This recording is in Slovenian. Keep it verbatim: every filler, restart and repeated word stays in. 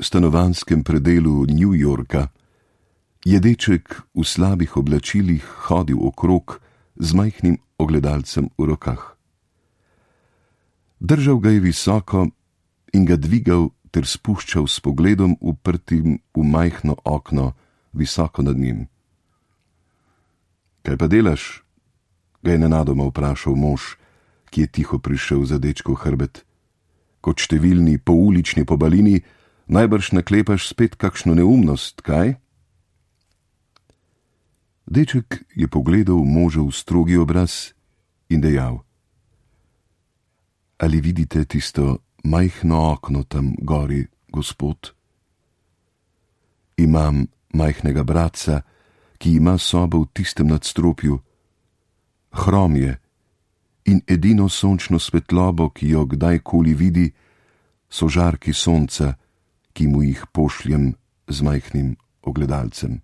stanovanjskem predelu New Yorka je deček v slabih oblačilih hodil okrog z majhnim ogledalcem v rokah. Držal ga je visoko in ga dvigal ter spuščal s pogledom uprtim v majhno okno visoko nad njim. Kaj pa delaš? Ga je nenadoma vprašal mož, ki je tiho prišel za dečkov hrbet. Kot številni poulični pobalini najbrž naklepaš spet kakšno neumnost, kaj? Deček je pogledal možev strogi obraz in dejal: Ali vidite tisto majhno okno tam gori, gospod? Imam majhnega bratca, ki ima sobo v tistem nadstropju. Hrom je in edino sončno svetlobo, ki jo kdajkoli vidi, so žarki sonca, ki mu jih pošljem z majhnim ogledalcem.